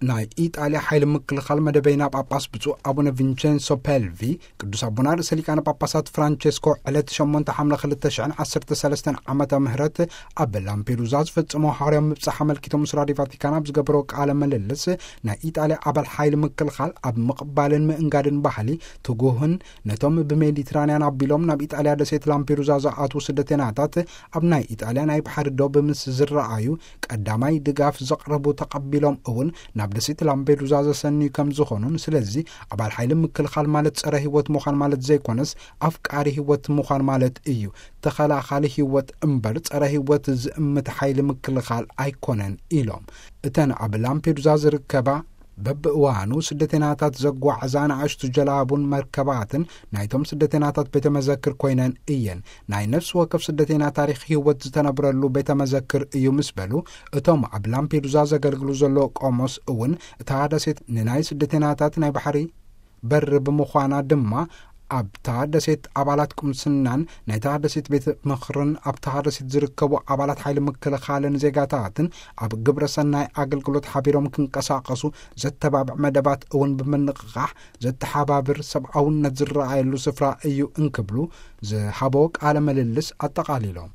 ናይ ኢጣልያ ሓይሊ ምክልኻል መደበይና ጳጳስ ብፁዕ ኣቡነ ቪንቸንሶ ፔልቪ፣ ቅዱስ ኣቦና ርእሰ ሊቃነ ጳጳሳት ፍራንቸስኮ ዕለት ሸሞንተ ሓምለ ክልተ ሽሕን ዓሰርተ ሰለስተን ዓመተ ምህረት ኣብ ላምፔዱዛ ዝፈጸሞ ሃዋርያዊ ምብጻሕ ኣመልኪቶም ምስ ራድዮ ቫቲካን ኣብ ዝገበሮ ቃለ ምልልስ፣ ናይ ኢጣልያ ኣባል ሓይሊ ምክልኻል ኣብ ምቕባልን ምእንጋድን ባህሊ ትጉህን፣ ነቶም ብሜዲትራንያን ኣቢሎም ናብ ኢጣልያ ደሴት ላምፔዱዛ ዝኣትዉ ስደተናታት ኣብ ናይ ኢጣልያ ናይ ባሕሪ ዶብ ምስ ዝረኣዩ፣ ቀዳማይ ድጋፍ ዘቕረቡ ተቐቢሎም እውን ናብ ደሴት ላምፔዱዛ ዘሰንዩ ከም ዝኾኑን፣ ስለዚ ኣባል ሓይሊ ምክልኻል ማለት ጸረ ህይወት ምዃን ማለት ዘይኮነስ፣ ኣፍቃሪ ህይወት ምዃን ማለት እዩ። ተኸላኻሊ ህይወት እምበር ጸረ ህይወት ዝእምት ሓይሊ ምክልኻል ኣይኮነን ኢሎም። እተን ኣብ ላምፔዱዛ ዝርከባ በብእዋኑ ስደተናታት ዘጓዕዛ ንኣሽቱ ጀላቡን መርከባትን ናይቶም ስደተናታት ቤተ መዘክር ኮይነን እየን። ናይ ነፍሲ ወከፍ ስደተና ታሪኽ ህይወት ዝተነብረሉ ቤተ መዘክር እዩ ምስ በሉ፣ እቶም ኣብ ላምፔዱዛ ዘገልግሉ ዘለዉ ቆሞስ እውን እታ ደሴት ንናይ ስደተናታት ናይ ባሕሪ በር ብምዃና ድማ ኣብታ ደሴት ኣባላት ቁምስናን ናይታ ደሴት ቤት ምኽርን ኣብታ ደሴት ዝርከቡ ኣባላት ሓይሊ ምክልኻልን ዜጋታትን ኣብ ግብረ ሰናይ ኣገልግሎት ሓቢሮም ክንቀሳቐሱ ዘተባብዕ መደባት እውን ብምንቕቓሕ ዘተሓባብር ሰብኣውነት ዝረኣየሉ ስፍራ እዩ እንክብሉ ዝሃቦ ቃለ ምልልስ ኣጠቓሊሎም።